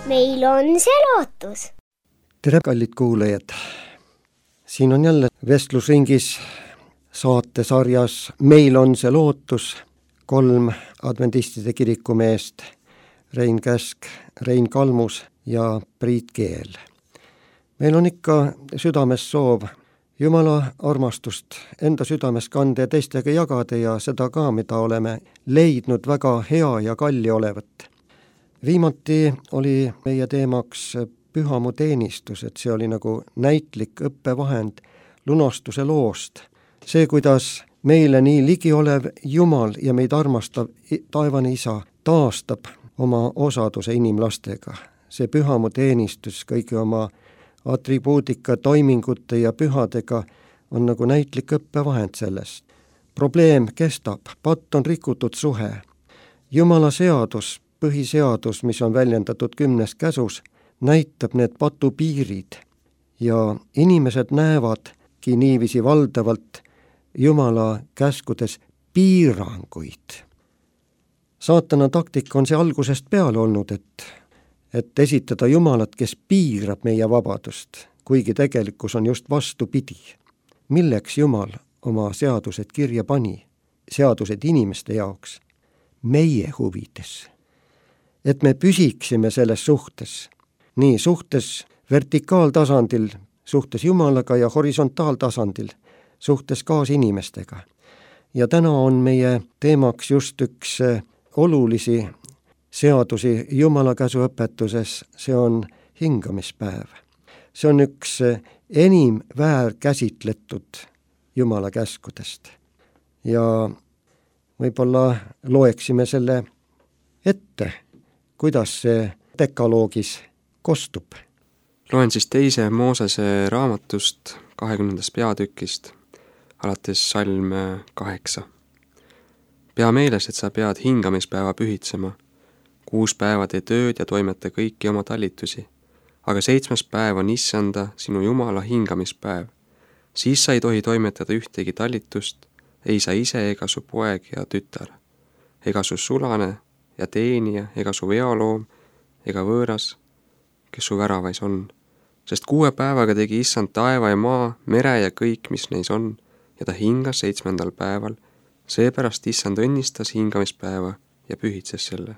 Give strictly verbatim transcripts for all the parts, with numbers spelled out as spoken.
meil on see lootus. Tere, kallid kuulajad! Siin on jälle vestlusringis saatesarjas Meil on see lootus kolm adventistide kirikumeest, Rein Käsk, Rein Kalmus ja Priit Keel. Meil on ikka südames soov Jumala armastust enda südames kanda ja teistega jagada ja seda ka, mida oleme leidnud väga hea ja kalli olevat. Viimati oli meie teemaks pühamu teenistus, et see oli nagu näitlik õppevahend lunastuse loost. See, kuidas meile nii ligi olev Jumal ja meid armastav taevane Isa taastab oma osaduse inimlastega. See pühamu teenistus kõigi oma atribuutika, toimingute ja pühadega on nagu näitlik õppevahend sellest. Probleem kestab, patt on rikutud suhe. Jumala seadus, põhiseadus, mis on väljendatud kümnes käsus, näitab need patu piirid ja inimesed näevadki niiviisi valdavalt Jumala käskudes piiranguid. Saatana taktika on see algusest peale olnud, et et esitada Jumalat, kes piirab meie vabadust, kuigi tegelikkus on just vastupidi. Milleks Jumal oma seadused kirja pani? Seadused inimeste jaoks, meie huvides. Et me püsiksime selles suhtes, nii suhtes vertikaaltasandil, suhtes Jumalaga ja horisontaaltasandil, suhtes kaasinimestega. Ja täna on meie teemaks just üks olulisi seadusi Jumala käsuõpetuses, see on hingamispäev. See on üks enim väärkäsitletud Jumala käskudest. Ja võib-olla loeksime selle ette, kuidas see dekaloogis kostub. Loen siis teise Moosese raamatust kahekümnendast peatükist, alates salm kaheksa. Pea meeles, et sa pead hingamispäeva pühitsema. Kuus päeva tee tööd ja toimeta kõiki oma talitusi, aga seitsmes päev on Issanda, sinu Jumala hingamispäev. Siis sa ei tohi toimetada ühtegi talitust, ei sa ise ega su poeg ja tütar, ega su sulane ja teenija, ega su veoloom, ega võõras, kes su väravais on. Sest kuue päevaga tegi Issand taeva ja maa, mere ja kõik, mis neis on, ja ta hingas seitsmendal päeval. Seepärast Issand õnnistas hingamispäeva ja pühitses selle.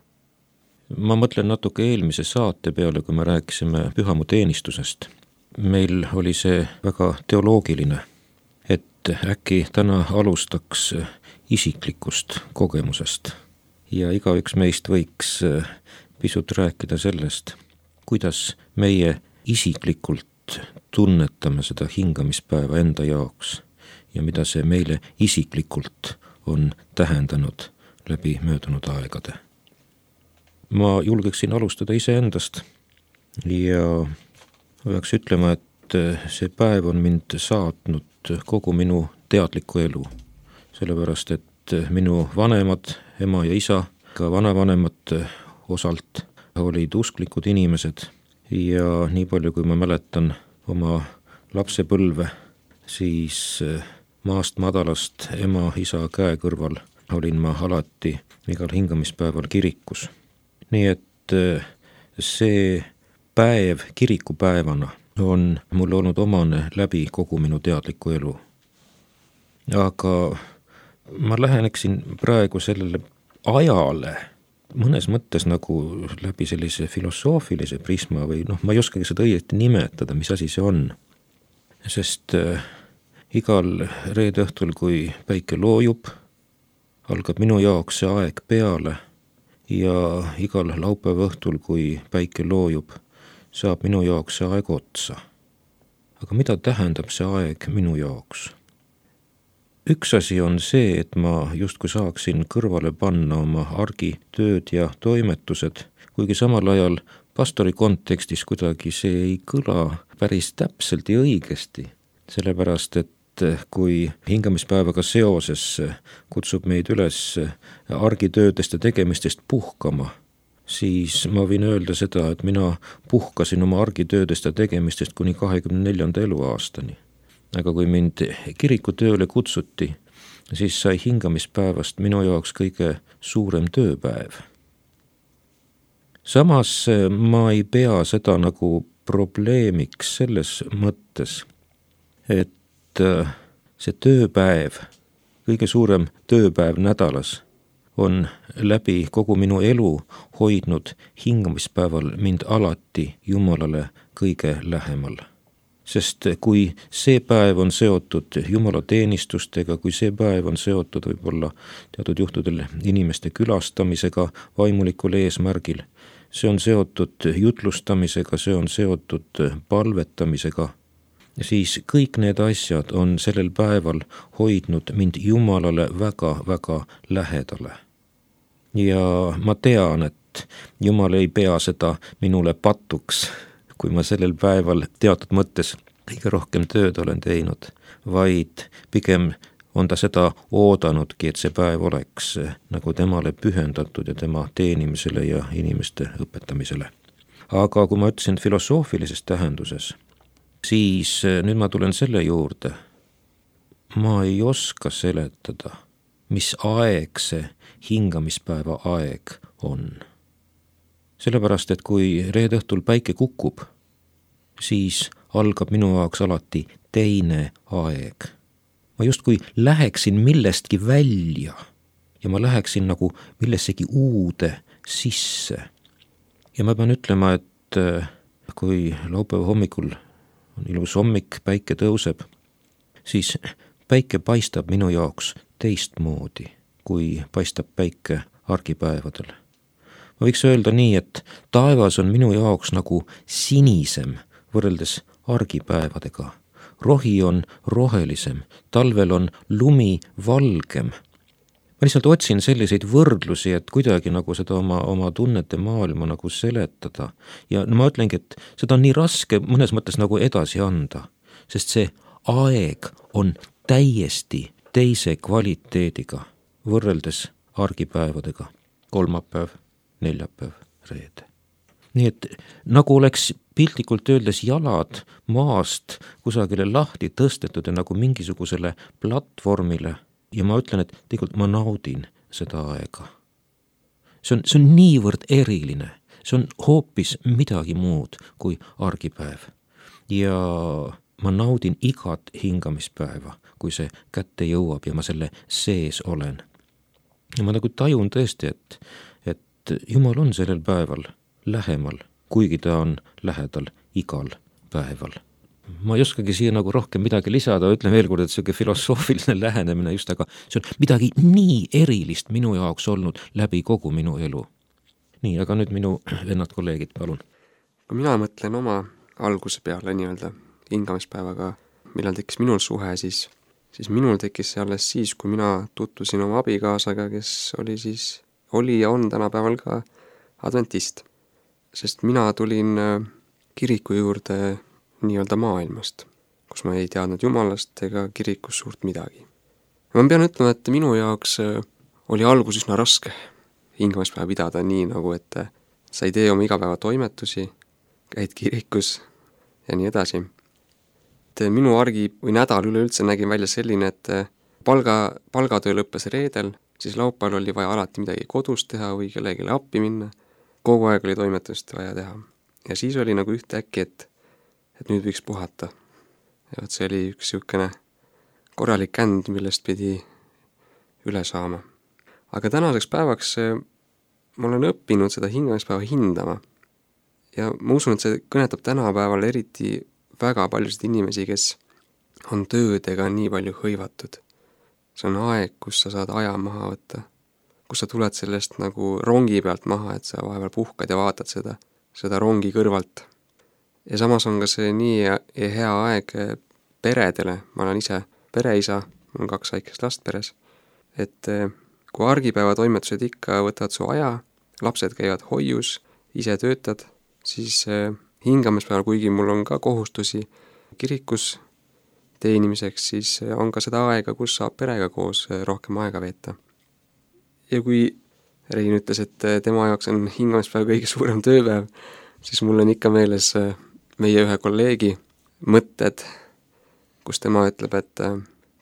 Ma mõtlen natuke eelmise saate peale, kui me rääkisime pühamu teenistusest. Meil oli see väga teoloogiline, et äkki täna alustaks isiklikust kogemusest ja igaüks meist võiks pisut rääkida sellest, kuidas meie isiklikult tunnetame seda hingamispäeva enda jaoks ja mida see meile isiklikult on tähendanud läbi möödunud aegade. Ma julgeksin alustada iseendast ja peaks ütlema, et see päev on mind saatnud kogu minu teadliku elu. Sellepärast, et minu vanemad, ema ja isa, ka vanavanemad osalt olid usklikud inimesed ja nii palju, kui ma mäletan oma lapsepõlve, siis maast madalast ema, isa käe kõrval olin ma alati igal hingamispäeval kirikus. Nii et see päev kirikupäevana on mul olnud omane läbi kogu minu teadliku elu. Aga ma läheneksin praegu sellele ajale mõnes mõttes nagu läbi sellise filosoofilise prisma või noh, ma ei oskagi seda õieti nimetada, mis asi see on. Sest igal reede õhtul, kui päike loojub, algab minu jaoks see aeg peale ja igal laupäeva õhtul, kui päike loojub, saab minu jaoks see aeg otsa. Aga mida tähendab see aeg minu jaoks? Üks asi on see, et ma justkui saaksin kõrvale panna oma argitööd ja toimetused, kuigi samal ajal pastori kontekstis kuidagi see ei kõla päris täpselt ja õigesti, sellepärast et kui hingamispäevaga seoses kutsub meid üles argitöödest ja tegemistest puhkama, siis ma võin öelda seda, et mina puhkasin oma argitöödest ja tegemistest kuni kahekümne neljanda eluaastani. Aga kui mind kirikutööle kutsuti, siis sai hingamispäevast minu jaoks kõige suurem tööpäev. samas ma ei pea seda nagu probleemiks selles mõttes, et see tööpäev, kõige suurem tööpäev nädalas on läbi kogu minu elu hoidnud hingamispäeval mind alati Jumalale kõige lähemal. Sest kui see päev on seotud Jumala teenistustega, kui see päev on seotud võib-olla teatud juhtudel inimeste külastamisega vaimulikul eesmärgil, see on seotud jutlustamisega, see on seotud palvetamisega, siis kõik need asjad on sellel päeval hoidnud mind Jumalale väga-väga lähedale. Ja ma tean, et Jumal ei pea seda minule patuks, kui ma sellel päeval teatud mõttes kõige rohkem tööd olen teinud, vaid pigem on ta seda oodanudki, et see päev oleks nagu temale pühendatud ja tema teenimisele ja inimeste õpetamisele. Aga kui ma ütlesin filosoofilises tähenduses, siis nüüd ma tulen selle juurde, ma ei oska seletada, mis aeg see hingamispäeva aeg on. Sellepärast, et kui reede õhtul päike kukub, siis algab minu jaoks alati teine aeg. Ma justkui läheksin millestki välja ja ma läheksin nagu millessegi uude sisse. Ja ma pean ütlema, et kui laupäeva hommikul on ilus hommik, päike tõuseb, siis päike paistab minu jaoks teistmoodi, kui paistab päike argipäevadel. Ma võiks öelda nii, et taevas on minu jaoks nagu sinisem võrreldes argipäevadega. Rohi on rohelisem, talvel on lumi valgem. Ma lihtsalt otsin selliseid võrdlusi, et kuidagi nagu seda oma, oma tunnete maailma nagu seletada. Ja no ma ütlengi, et seda on nii raske mõnes mõttes nagu edasi anda, sest see aeg on täiesti teise kvaliteediga võrreldes argipäevadega. Kolmapäev, neljapäev, reede. Nii et nagu oleks piltlikult öeldes jalad maast kusagile lahti tõstetud ja nagu mingisugusele platvormile ja ma ütlen, et tegelikult ma naudin seda aega. See on, see on niivõrd eriline, see on hoopis midagi muud kui argipäev ja ma naudin igat hingamispäeva, kui see kätte jõuab ja ma selle sees olen. Ja ma nagu tajun tõesti, et Jumal on sellel päeval lähemal, kuigi ta on lähedal igal päeval. Ma ei oskagi siia nagu rohkem midagi lisada, ütlen veel kord, et see filosoofiline lähenemine just, aga see on midagi nii erilist minu jaoks olnud läbi kogu minu elu. Nii, aga nüüd minu vennad kolleegid, palun. Kui mina mõtlen oma alguse peale nii-öelda hingamispäevaga, millal tekkis minul suhe, siis, siis minul tekkis see alles siis, kui mina tutvusin oma abikaasaga, kes oli siis oli ja on tänapäeval ka adventist, sest mina tulin kiriku juurde nii-öelda maailmast, kus ma ei teadnud Jumalast ega kirikus suurt midagi. Ma pean ütlema, et minu jaoks oli algus üsna raske hingamispäeva pidada nii nagu, et sa ei tee oma igapäeva toimetusi, käid kirikus ja nii edasi. Et minu argi või nädal üleüldse nägin välja selline, et palga, palgatöö lõppes reedel, siis laupäeval oli vaja alati midagi kodus teha või kellelegi appi minna. Kogu aeg oli toimetust vaja teha. Ja siis oli nagu ühte äkki, et, et nüüd võiks puhata. Ja see oli üks siukene korralik känd, millest pidi üle saama. Aga tänaseks päevaks ma olen õppinud seda hingamispäeva hindama. Ja ma usun, et see kõnetab tänapäeval eriti väga paljusid inimesi, kes on töödega nii palju hõivatud. See on aeg, kus sa saad aja maha võtta, kus sa tuled sellest nagu rongi pealt maha, et sa vahepeal puhkad ja vaatad seda, seda rongi kõrvalt. Ja samas on ka see nii hea aeg peredele, ma olen ise pereisa, mul on kaks väikest last peres, et kui argipäeva toimetused ikka võtavad su aja, lapsed käivad hoius, ise töötad, siis hingamispäeval, kuigi mul on ka kohustusi kirikus teenimiseks, siis on ka seda aega, kus saab perega koos rohkem aega veeta. Ja kui Rein ütles, et tema jaoks on hingamispäev kõige suurem tööpäev, siis mul on ikka meeles meie ühe kolleegi mõtted, kus tema ütleb, et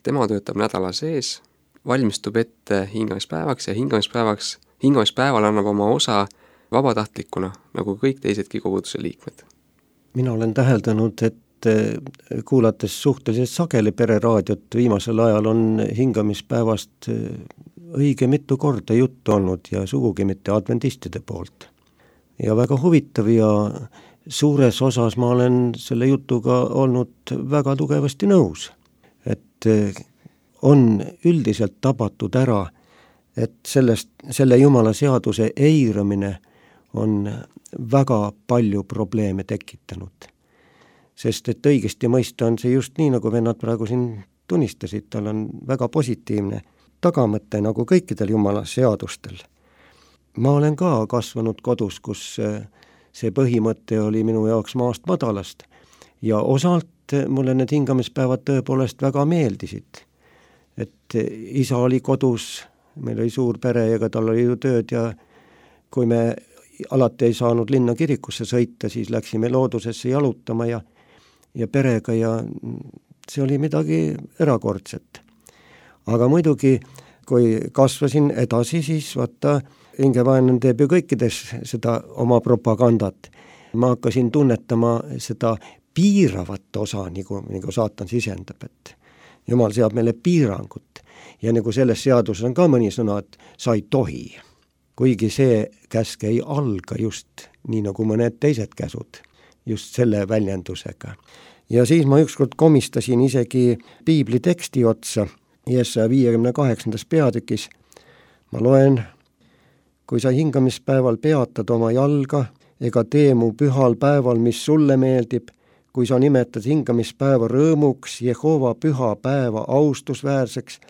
tema töötab nädala sees, valmistub ette hingamispäevaks ja hingamispäevaks, hingamispäeval annab oma osa vabatahtlikuna, nagu kõik teisedki koguduse liikmed. mina olen täheldanud, et kuulates suhteliselt sageli pereraadiot viimasel ajal on hingamispäevast õige mitu korda juttu olnud ja sugugi mitte adventistide poolt. Ja väga huvitav ja suures osas ma olen selle jutuga olnud väga tugevasti nõus, et on üldiselt tabatud ära, et sellest, selle Jumala seaduse eiramine on väga palju probleeme tekitanud. Sest et õigesti mõista on see just nii, nagu vennad praegu siin tunnistasid, tal on väga positiivne tagamõte nagu kõikidel Jumala seadustel. Ma olen ka kasvanud kodus, kus see põhimõte oli minu jaoks maast madalast ja osalt mulle need hingamispäevad tõepoolest väga meeldisid. Et isa oli kodus, meil oli suur pere ja tal oli ju tööd ja kui me alati ei saanud linna kirikusse sõita, siis läksime loodusesse jalutama ja ja perega ja see oli midagi erakordset. Aga muidugi, kui kasvasin edasi, siis vaata, hingevaenlane teeb ju kõikides seda oma propagandat. Ma hakkasin tunnetama seda piiravat osa, nagu, nagu saatan sisendab, et Jumal seab meile piirangut. Ja nagu selles seaduses on ka mõni sõna, et sa ei tohi. Kuigi see käsk ei alga just nii nagu mõned teised käsud. Just selle väljendusega. Ja siis ma ükskord komistasin isegi piibli teksti otsa, Jesaja viiekümne kaheksandas peatükis. Ma loen, kui sa hingamispäeval peatad oma jalga, ega tee mu pühal päeval, mis sulle meeldib, kui sa nimetad hingamispäeva rõõmuks, Jehova püha päeva austusväärseks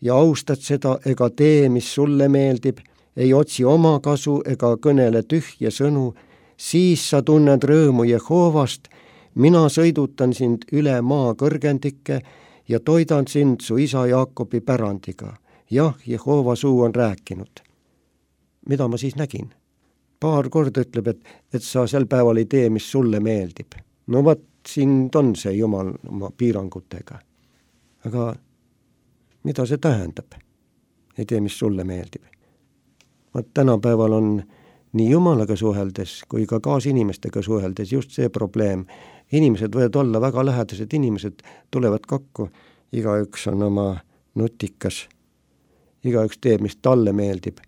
ja austad seda, ega tee, mis sulle meeldib, ei otsi oma kasu ega kõnele tühje sõnu, siis sa tunned rõõmu Jehovast, mina sõidutan sind üle maa kõrgendike ja toidan sind su isa Jaakobi pärandiga. Jah, Jehova suu on rääkinud. Mida ma siis nägin? Paar korda ütleb, et, et sa sel päeval ei tee, mis sulle meeldib. No vat, siin on see Jumal oma piirangutega. Aga mida see tähendab? Ei tee, mis sulle meeldib. Vat tänapäeval on nii Jumalaga suheldes kui ka kaasinimestega suheldes just see probleem. Inimesed võivad olla väga lähedased inimesed, tulevad kokku, igaüks on oma nutikas, igaüks teeb, mis talle meeldib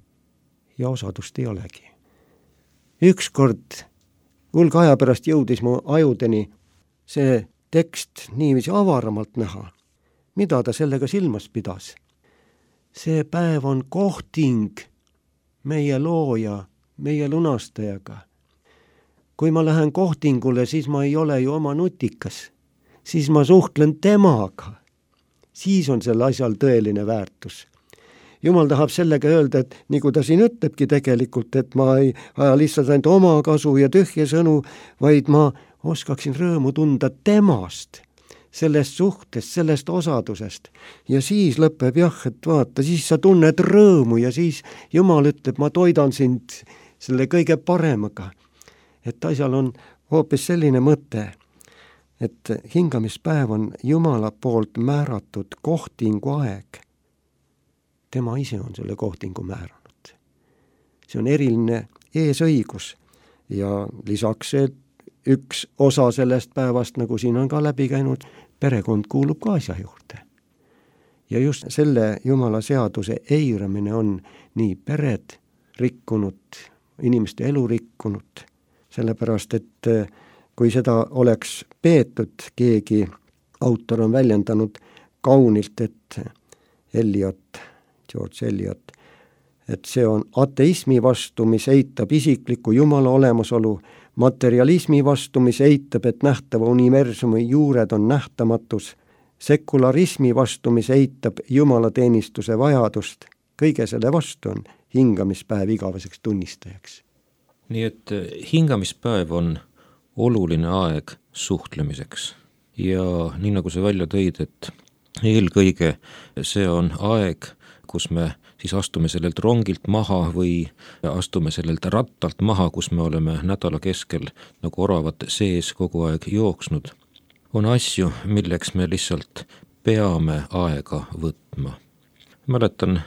ja osadust ei olegi. Ükskord hulga aja pärast jõudis mu ajudeni see tekst niiviisi avaramalt näha, mida ta sellega silmas pidas. See päev on kohting meie looja, meie lunastajaga. Kui ma lähen kohtingule, siis ma ei ole ju oma nutikas. Siis ma suhtlen temaga. Siis on sel asjal tõeline väärtus. Jumal tahab sellega öelda, et nagu ta siin ütlebki tegelikult, et ma ei aja lihtsalt ainult oma kasu ja tühje sõnu, vaid ma oskaksin rõõmu tunda temast, sellest suhtest, sellest osadusest. Ja siis lõpeb jah, et vaata, siis sa tunned rõõmu ja siis Jumal ütleb, ma toidan sind selle kõige paremaga. Et asjal on hoopis selline mõte, et hingamispäev on Jumala poolt määratud kohtingu aeg. Tema ise on selle kohtingu määranud. See on eriline eesõigus ja lisaks see üks osa sellest päevast, nagu siin on ka läbi käinud, perekond kuulub ka asja juurde. Ja just selle Jumala seaduse eiramine on nii pered rikkunud, inimeste elu rikkunud, sellepärast, et kui seda oleks peetud, keegi autor on väljendanud kaunilt, et Eliot, George Eliot, et see on ateismi vastu, mis eitab isikliku Jumala olemasolu, materialismi vastu, mis eitab, et nähtava universumi juured on nähtamatus, sekularismi vastu, mis eitab jumalateenistuse vajadust, kõige selle vastu on hingamispäev igaveseks tunnistajaks. Nii et hingamispäev on oluline aeg suhtlemiseks ja nii nagu sa välja tõid, et eelkõige see on aeg, kus me siis astume sellelt rongilt maha või astume sellelt rattalt maha, kus me oleme nädala keskel nagu oravad sees kogu aeg jooksnud. On asju, milleks me lihtsalt peame aega võtma. Mäletan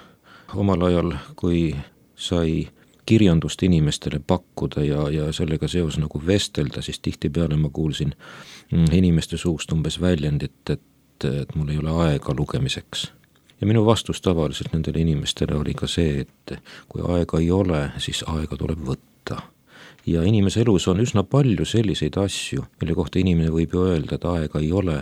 omal ajal, kui sai kirjandust inimestele pakkuda ja, ja sellega seos nagu vestelda, siis tihtipeale ma kuulsin inimeste suust umbes väljendit, et, et mul ei ole aega lugemiseks. Ja minu vastus tavaliselt nendele inimestele oli ka see, et kui aega ei ole, siis aega tuleb võtta. Ja inimese elus on üsna palju selliseid asju, mille kohta inimene võib ju öelda, et aega ei ole,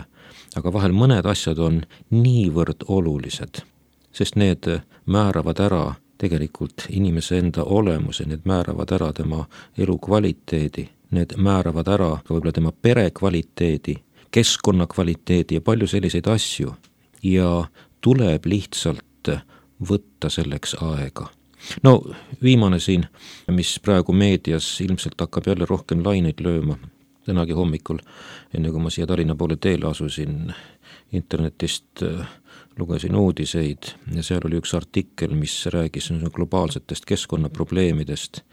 aga vahel mõned asjad on niivõrd olulised, sest need määravad ära tegelikult inimese enda olemuse, need määravad ära tema elu kvaliteedi, need määravad ära võib-olla tema pere kvaliteedi, keskkonna kvaliteedi ja palju selliseid asju ja tuleb lihtsalt võtta selleks aega. No viimane siin, mis praegu meedias ilmselt hakkab jälle rohkem laineid lööma, tänagi hommikul, enne kui ma siia Tallinna poole teele asusin, internetist lugesin uudiseid ja seal oli üks artikkel, mis räägis globaalsetest keskkonnaprobleemidest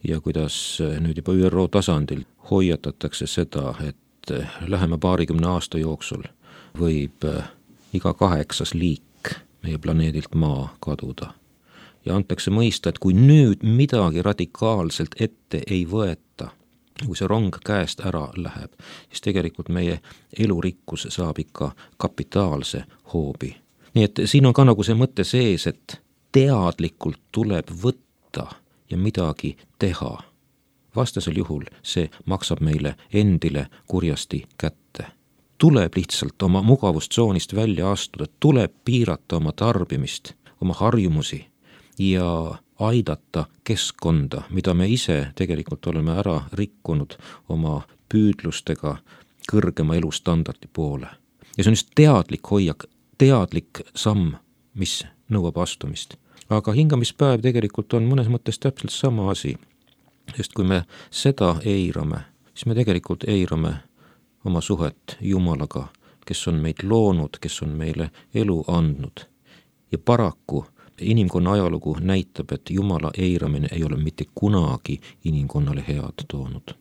ja kuidas nüüd juba Ü R O tasandil hoiatatakse seda, et lähema paarikümne aasta jooksul võib iga kaheksas liik meie planeedilt Maa kaduda. Ja antakse mõista, et kui nüüd midagi radikaalselt ette ei võeta, kui see rong käest ära läheb, siis tegelikult meie elurikkus saab ikka kapitaalse hoobi. Nii et siin on ka nagu see mõte sees, et teadlikult tuleb võtta ja midagi teha. Vastasel juhul see maksab meile endile kurjasti kätte. Tuleb lihtsalt oma mugavustsoonist välja astuda, tuleb piirata oma tarbimist, oma harjumusi ja aidata keskkonda, mida me ise tegelikult oleme ära rikkunud oma püüdlustega kõrgema elustandardi poole. Ja see on just teadlik hoiak, teadlik samm, mis nõuab astumist. Aga hingamispäev tegelikult on mõnes mõttes täpselt sama asi, sest kui me seda eirame, siis me tegelikult eirame oma suhet Jumalaga, kes on meid loonud, kes on meile elu andnud. Ja paraku inimkonna ajalugu näitab, et Jumala eiramine ei ole mitte kunagi inimkonnale head toonud.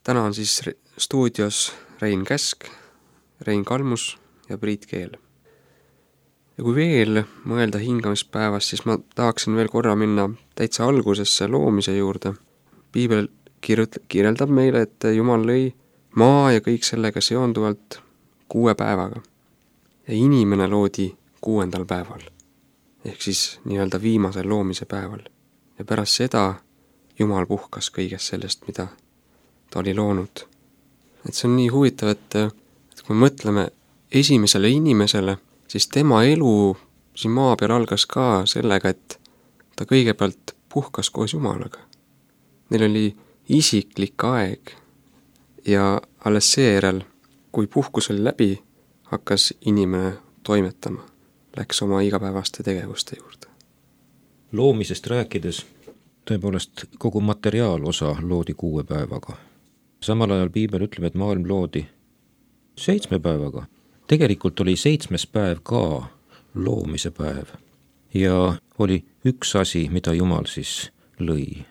Täna on siis stuudios Rein Käsk, Rein Kalmus ja Priit Keel. Ja kui veel mõelda hingamispäevast, siis ma tahaksin veel korra minna täitsa algusesse loomise juurde. Piibel kirjeldab meile, et Jumal lõi maa ja kõik sellega seonduvalt kuue päevaga. Ja inimene loodi kuuendal päeval, ehk siis nii-öelda viimasel loomise päeval. Ja pärast seda Jumal puhkas kõigest sellest, mida ta oli loonud. Et see on nii huvitav, et, et kui mõtleme esimesele inimesele, siis tema elu siin maa peal algas ka sellega, et ta kõigepealt puhkas koos Jumalaga. Neil oli isiklik aeg ja alles seejärel, kui puhkus oli läbi, hakkas inimene toimetama, läks oma igapäevaste tegevuste juurde. Loomisest rääkides tõepoolest kogu materiaalosa loodi kuue päevaga. Samal ajal Piibel ütleb, et maailm loodi seitsme päevaga. Tegelikult oli seitsmes päev ka loomise päev ja oli üks asi, mida Jumal siis lõi.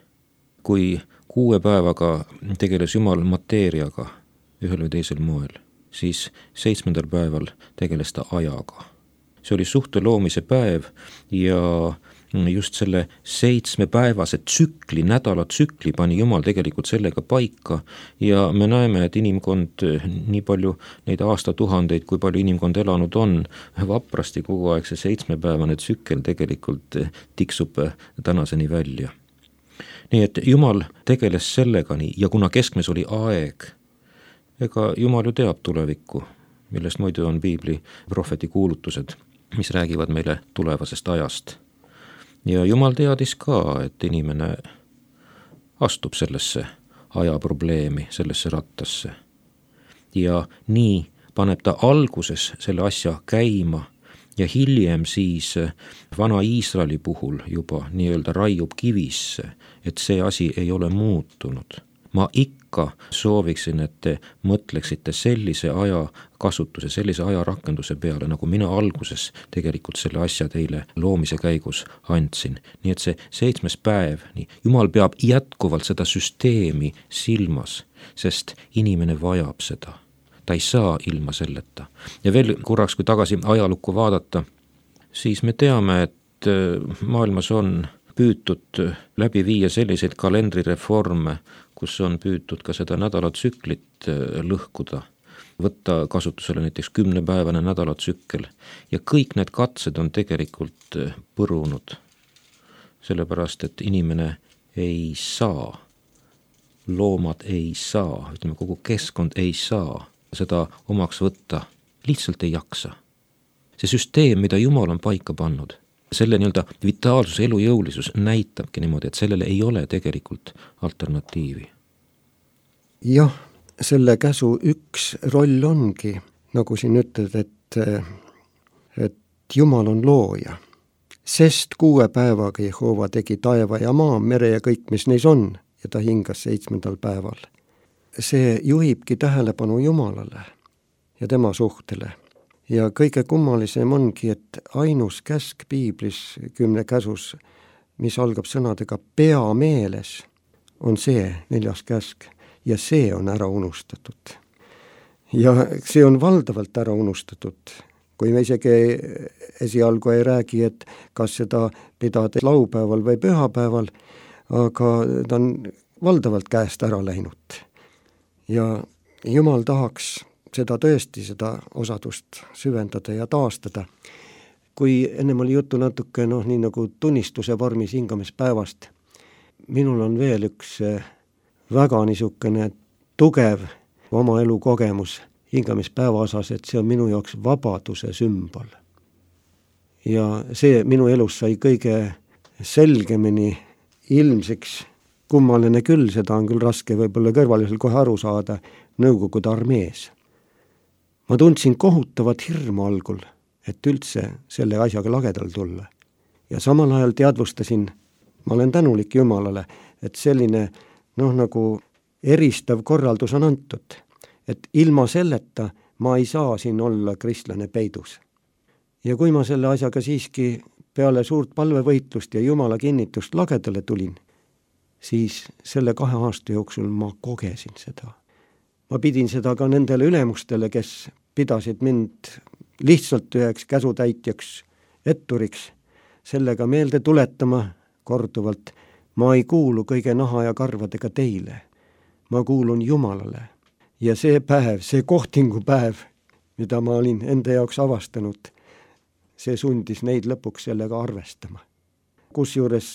Kui kuue päevaga tegeles Jumal mateeriaga ühel või teisel moel, siis seitsmendal päeval tegeles ta ajaga. See oli suhte loomise päev ja just selle seitsmepäevase tsükli, nädala tsükli pani Jumal tegelikult sellega paika ja me näeme, et inimkond nii palju neid aastatuhandeid, kui palju inimkond elanud on, vaprasti kogu aeg see seitsmepäevane tsükkel tegelikult tiksub tänaseni välja. Nii et Jumal tegeles sellega nii ja kuna keskmes oli aeg, ega Jumal ju teab tulevikku, millest muidu on Piibli prohveti kuulutused, mis räägivad meile tulevasest ajast. Ja Jumal teadis ka, et inimene astub sellesse ajaprobleemi, sellesse rattasse. Ja nii paneb ta alguses selle asja käima ja hiljem siis vana Iisraeli puhul juba nii-öelda raiub kivisse, et see asi ei ole muutunud. Ma ikka väga sooviksin, et te mõtleksite sellise aja kasutuse, sellise aja rakenduse peale, nagu mina alguses tegelikult selle asja teile loomise käigus andsin. Nii et see seitsmes päev, nii, Jumal peab jätkuvalt seda süsteemi silmas, sest inimene vajab seda. Ta ei saa ilma selleta. Ja veel korraks, kui tagasi ajalukku vaadata, siis me teame, et maailmas on püütud läbi viia selliseid kalendrireforme, kus on püütud ka seda nädalatsüklit lõhkuda, võtta kasutusele näiteks kümnepäevane nädalatsükkel ja kõik need katsed on tegelikult põrunud, sellepärast et inimene ei saa, loomad ei saa, ütleme kogu keskkond ei saa seda omaks võtta, lihtsalt ei jaksa. See süsteem, mida Jumal on paika pannud, selle nii-öelda vitaalsus, elujõulisus näitabki niimoodi, et sellele ei ole tegelikult alternatiivi. Jah, selle käsu üks roll ongi, nagu siin ütled, et, et Jumal on looja. Sest kuue päevaga Jehova tegi taeva ja maa, mere ja kõik, mis neis on, ja ta hingas seitsmendal päeval. See juhibki tähelepanu Jumalale ja tema suhtele. Ja kõige kummalisem ongi, et ainus käsk piiblis kümne käsus, mis algab sõnadega pea meeles, on see neljas käsk ja see on ära unustatud. Ja see on valdavalt ära unustatud, kui me isegi esialgu ei räägi, et kas seda pidada laupäeval või pühapäeval, aga ta on valdavalt käest ära läinud. Ja Jumal tahaks seda tõesti, seda osadust süvendada ja taastada. Kui ennem oli juttu natuke, noh, nii nagu tunnistuse vormis hingamispäevast, minul on veel üks väga niisugune tugev oma elu kogemus hingamispäeva osas, et see on minu jaoks vabaduse sümbol. Ja see minu elus sai kõige selgemini ilmseks, kummaline küll, seda on küll raske võib-olla kõrvalisel kohe aru saada, Nõukogude armees. Ma tundsin kohutavat hirmu algul, et üldse selle asjaga lagedal tulla. Ja samal ajal teadvustasin, ma olen tänulik Jumalale, et selline, noh, nagu eristav korraldus on antud, et ilma selleta ma ei saa siin olla kristlane peidus. Ja kui ma selle asjaga siiski peale suurt palvevõitlust ja Jumala kinnitust lagedale tulin, siis selle kahe aasta jooksul ma kogesin seda. Ma pidin seda ka nendele ülemustele, kes pidasid mind lihtsalt üheks käsutäitjaks, etturiks, sellega meelde tuletama korduvalt, ma ei kuulu kõige naha ja karvadega teile, ma kuulun Jumalale. Ja see päev, see kohtingupäev, mida ma olin enda jaoks avastanud, see sundis neid lõpuks sellega arvestama. Kusjuures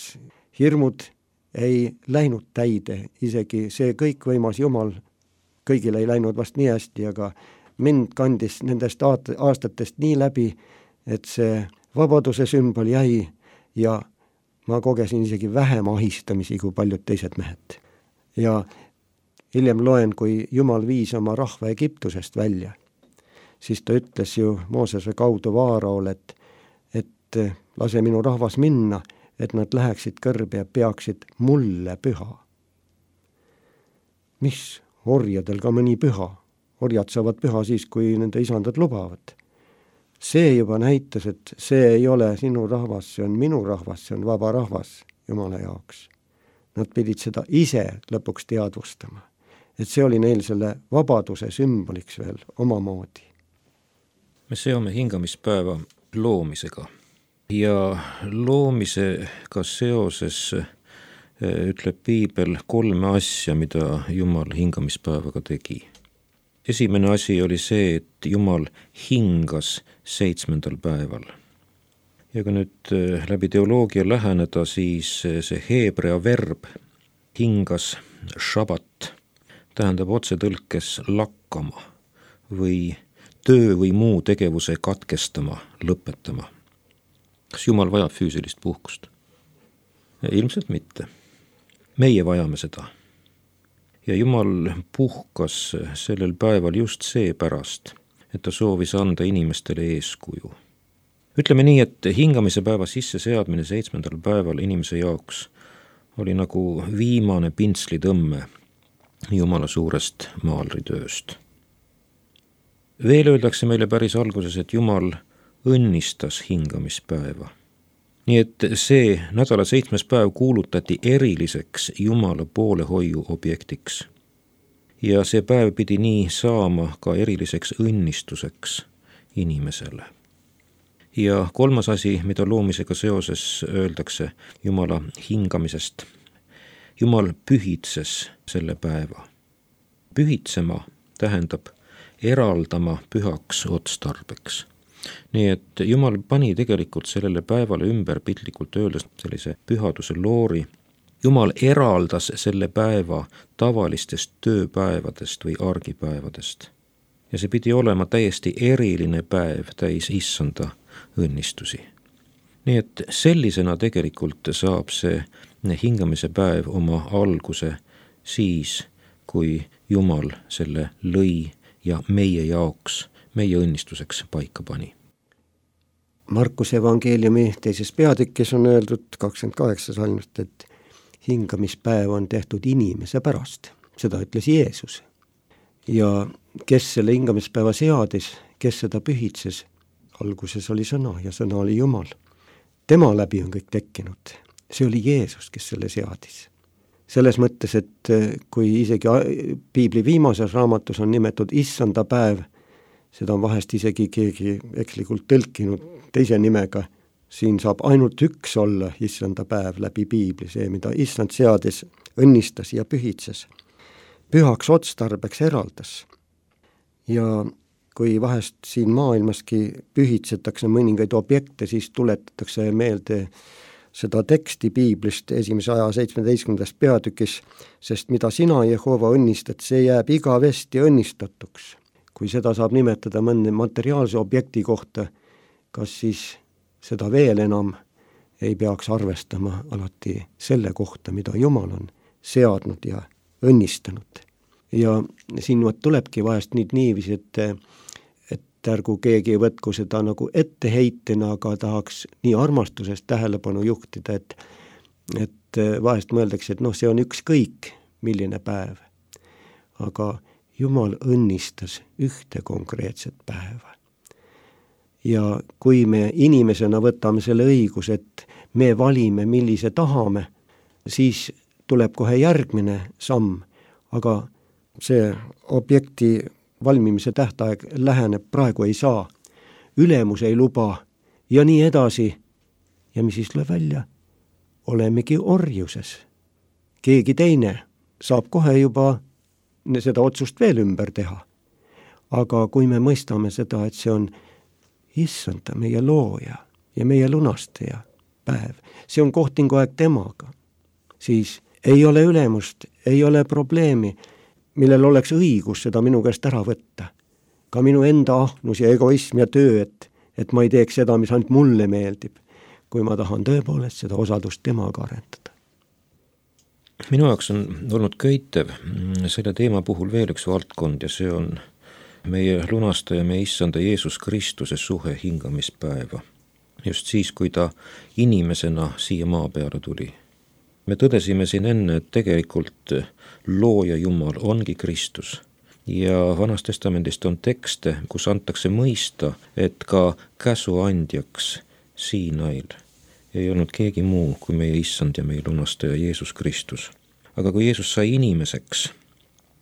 hirmud ei läinud täide, isegi see kõikvõimas Jumal, kõigil ei läinud vast nii hästi, aga mind kandis nendest aastatest nii läbi, et see vabaduse sümbol jäi ja ma kogesin isegi vähem ahistamisi kui paljud teised mehed. Ja hiljem loen, kui Jumal viis oma rahva Egiptusest välja, siis ta ütles ju Moosese kaudu Vaaraole, et, et lase minu rahvas minna, et nad läheksid kõrbe ja peaksid mulle püha. Mis orjadel ka mõni püha? Orjad saavad püha siis, kui nende isandad lubavad. See juba näitas, et see ei ole sinu rahvas, see on minu rahvas, see on vaba rahvas Jumala jaoks. Nad pidid seda ise lõpuks teadvustama. Et see oli neil selle vabaduse sümboliks veel omamoodi. Me seome hingamispäeva loomisega ja loomisega seoses ütleb piibel kolme asja, mida Jumal hingamispäevaga tegi. Esimene asi oli see, et Jumal hingas seitsmendal päeval. Ja kui nüüd läbi teoloogia läheneda, siis see heebrea verb hingas šabat tähendab otsetõlkes lakkama või töö või muu tegevuse katkestama, lõpetama. Kas Jumal vajab füüsilist puhkust? Ilmselt mitte. Meie vajame seda. Ja Jumal puhkas sellel päeval just seepärast, et ta soovis anda inimestele eeskuju. Ütleme nii, et hingamise päeva sisse seadmine seitsmendal päeval inimese jaoks oli nagu viimane pintslitõmme Jumala suurest maalritööst. Veel öeldakse meile päris alguses, et Jumal õnnistas hingamispäeva. Nii et see nädala seitsmes päev kuulutati eriliseks Jumala poolehoiu objektiks. Ja see päev pidi nii saama ka eriliseks õnnistuseks inimesele. Ja kolmas asi, mida loomisega seoses öeldakse Jumala hingamisest. Jumal pühitses selle päeva. Pühitsema tähendab eraldama pühaks otstarbeks. Nii et Jumal pani tegelikult sellele päevale ümber piltlikult öeldes sellise pühaduse loori. Jumal eraldas selle päeva tavalistest tööpäevadest või argipäevadest. Ja see pidi olema täiesti eriline päev täis issanda õnnistusi. Nii et sellisena tegelikult saab see hingamise päev oma alguse siis, kui Jumal selle lõi ja meie jaoks, meie õnnistuseks paika pani. Markuse evangeeliumi teises peatükis on öeldud kakskümmend kaheksa salmist, et hingamispäev on tehtud inimese pärast. Seda ütles Jeesus. Ja kes selle hingamispäeva seadis, kes seda pühitses, alguses oli sõna ja sõna oli Jumal. Tema läbi on kõik tekkinud. See oli Jeesus, kes selle seadis. Selles mõttes, et kui isegi piibli viimases raamatus on nimetatud issanda päev, seda on vahest isegi keegi ekslikult tõlkinud teise nimega, siin saab ainult üks olla issanda päev läbi piibli, see, mida issand seadis, õnnistas ja pühitses. Pühaks otstarbeks eraldas. Ja kui vahest siin maailmaski pühitsetakse mõningaid objekte, siis tuletatakse meelde seda teksti piiblist esimese aja seitsmeteistkümnendast peatükis, sest mida sina, Jehova, õnnistad, see jääb igavesti õnnistatuks. Kui seda saab nimetada mõne materiaalse objekti kohta, kas siis seda veel enam ei peaks arvestama alati selle kohta, mida Jumal on seadnud ja õnnistanud. Ja siin tulebki vahest nüüd niiviisi, et, et ärgu keegi võtku seda nagu etteheitena, aga tahaks nii armastusest tähelepanu juhtida, et, et vahest mõeldakse, et noh, see on ükskõik, milline päev. Aga Jumal õnnistas ühte konkreetset päeva. Ja kui me inimesena võtame selle õigus, et me valime, millise tahame, siis tuleb kohe järgmine samm, aga see objekti valmimise tähtaeg läheneb, praegu ei saa, ülemus ei luba ja nii edasi. Ja mis siis tuleb välja? Olemegi orjuses. Keegi teine saab kohe juba seda otsust veel ümber teha. Aga kui me mõistame seda, et see on issanda, meie looja ja meie lunastaja päev, see on kohtingu aeg temaga, siis ei ole ülemust, ei ole probleemi, millel oleks õigus seda minu käest ära võtta. Ka minu enda ahnus ja egoism ja töö, et, et ma ei teeks seda, mis ainult mulle meeldib, kui ma tahan tõepoolest seda osadust temaga arendada. Minu jaoks on olnud köitev selle teema puhul veel üks valdkond ja see on meie lunastaja, meie issanda Jeesus Kristuse suhe hingamispäeva. Just siis, kui ta inimesena siia maa peale tuli. Me tõdesime siin enne, et tegelikult looja Jumal ongi Kristus. Ja Vanas Testamendist on tekste, kus antakse mõista, et ka käsuandjaks Siinail ei olnud keegi muu kui meie issand ja meie lunastaja Jeesus Kristus. Aga kui Jeesus sai inimeseks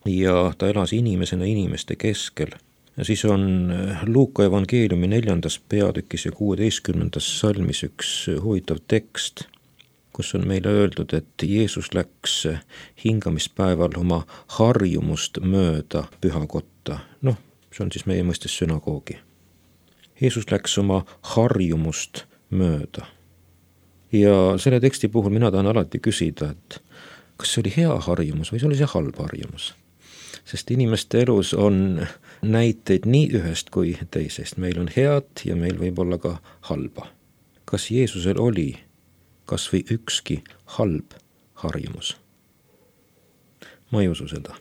ja ta elas inimesena inimeste keskel, siis on Luuka evangeeliumi neljandas peatükis ja kuueteistkümnendas salmis üks huvitav tekst, kus on meile öeldud, et Jeesus läks hingamispäeval oma harjumust mööda pühakotta. Noh, see on siis meie mõistes sünagoogi. Jeesus läks oma harjumust mööda. Ja selle teksti puhul mina tahan alati küsida, et kas see oli hea harjumus või see oli see halb harjumus? Sest inimeste elus on näiteid nii ühest kui teisest. Meil on head ja meil võib olla ka halba. Kas Jeesusel oli kas või ükski halb harjumus? Ma ei usu seda.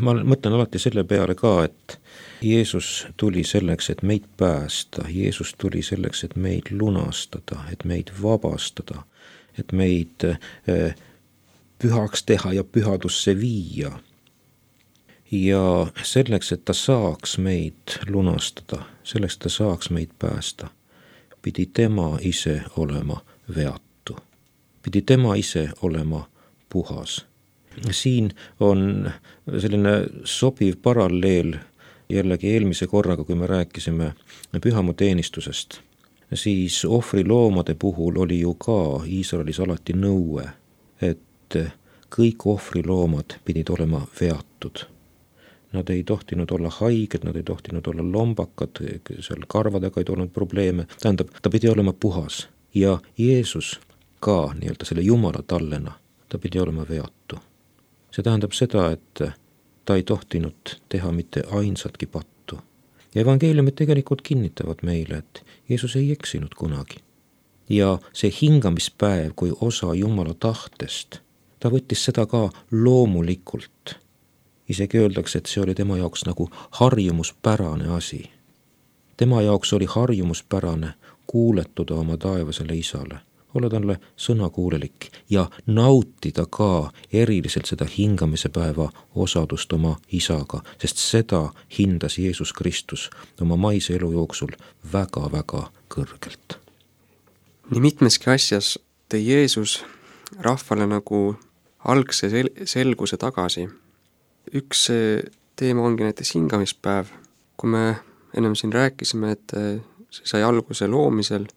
Ma mõtlen alati selle peale ka, et Jeesus tuli selleks, et meid päästa. Jeesus tuli selleks, et meid lunastada, et meid vabastada, et meid pühaks teha ja pühadusse viia. Ja selleks, et ta saaks meid lunastada, selleks, et ta saaks meid päästa, pidi tema ise olema veatu. Pidi tema ise olema puhas. Siin on selline sobiv paralleel jällegi eelmise korraga, kui me rääkisime pühamuteenistusest, siis ohvriloomade puhul oli ju ka Iisraelis alati nõue, et kõik ohvriloomad pidid olema veatud. Nad ei tohtinud olla haiged, nad ei tohtinud olla lombakad, seal karvadega ei olnud probleeme, tähendab, ta pidi olema puhas ja Jeesus ka nii-öelda selle Jumala tallena, ta pidi olema veatu. See tähendab seda, et ta ei tohtinud teha mitte ainsatki pattu. Ja evangeeliumid tegelikult kinnitavad meile, et Jeesus ei eksinud kunagi. Ja see hingamispäev kui osa Jumala tahtest, ta võttis seda ka loomulikult. Isegi öeldakse, et see oli tema jaoks nagu harjumuspärane asi. Tema jaoks oli harjumuspärane kuuletuda oma taevasele isale, olla talle sõnakuulelik ja nautida ka eriliselt seda hingamise päeva osadust oma isaga, sest seda hindas Jeesus Kristus oma maise elu jooksul väga-väga kõrgelt. Nii mitmeski asjas tõi Jeesus rahvale nagu algse sel- selguse tagasi. Üks teema ongi näiteks hingamispäev. Kui me ennem siin rääkisime, et see sai alguse loomisel,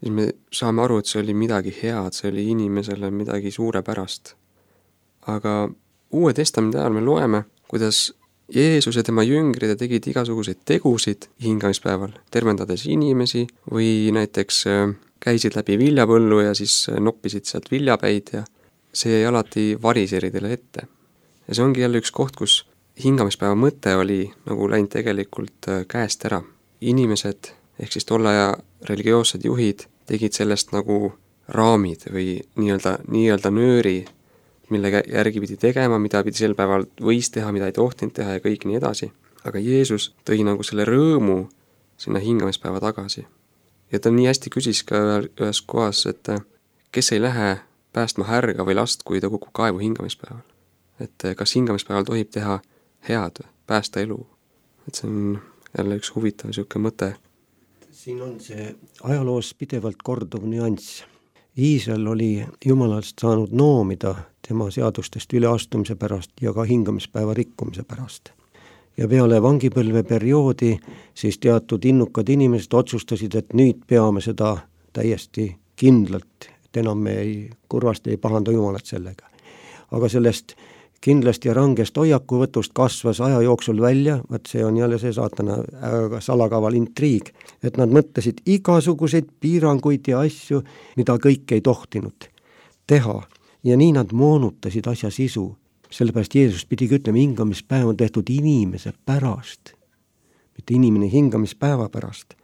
siis me saame aru, et see oli midagi head, see oli inimesele midagi suurepärast. Aga Uue Testamendi ajal me loeme, kuidas Jeesus ja tema jüngrid tegid igasuguseid tegusid hingamispäeval, tervendades inimesi või näiteks käisid läbi viljapõllu ja siis noppisid sealt viljapäid ja see jäi alati variseridele ette. Ja see ongi jälle üks koht, kus hingamispäeva mõte oli nagu läinud tegelikult käest ära. Inimesed, ehk siis tolle aja religioossed juhid, tegid sellest nagu raamid või nii-öelda, nii-öelda nööri, mille järgi pidi tegema, mida pidi sel päeval võis teha, mida ei tohtinud teha ja kõik nii edasi. Aga Jeesus tõi nagu selle rõõmu sinna hingamispäeva tagasi. Ja ta nii hästi küsis ka ühes kohas, et kes ei lähe päästma härga või last, kui ta kukub kaevu hingamispäeval. Et kas hingamispäeval tohib teha head, päästa elu. Et see on jälle üks huvitav siuke mõte. Siin on see ajaloos pidevalt korduv nüanss. Iisrael oli Jumalast saanud noomida tema seadustest üleastumise pärast ja ka hingamispäeva rikkumise pärast. Ja peale vangipõlve perioodi siis teatud innukad inimesed otsustasid, et nüüd peame seda täiesti kindlalt, et enam me ei, kurvasti ei pahanda Jumalat sellega. Aga sellest kindlasti ja rangest hoiakuvõtust kasvas aja jooksul välja, vaat see on jälle see saatana salakaval intriig, et nad mõtlesid igasuguseid piiranguid ja asju, mida kõik ei tohtinud teha. Ja nii nad moonutasid asja sisu. Sellepärast Jeesus pidigi ütlema, hingamispäev on tehtud inimese pärast, mitte inimene hingamispäeva pärast.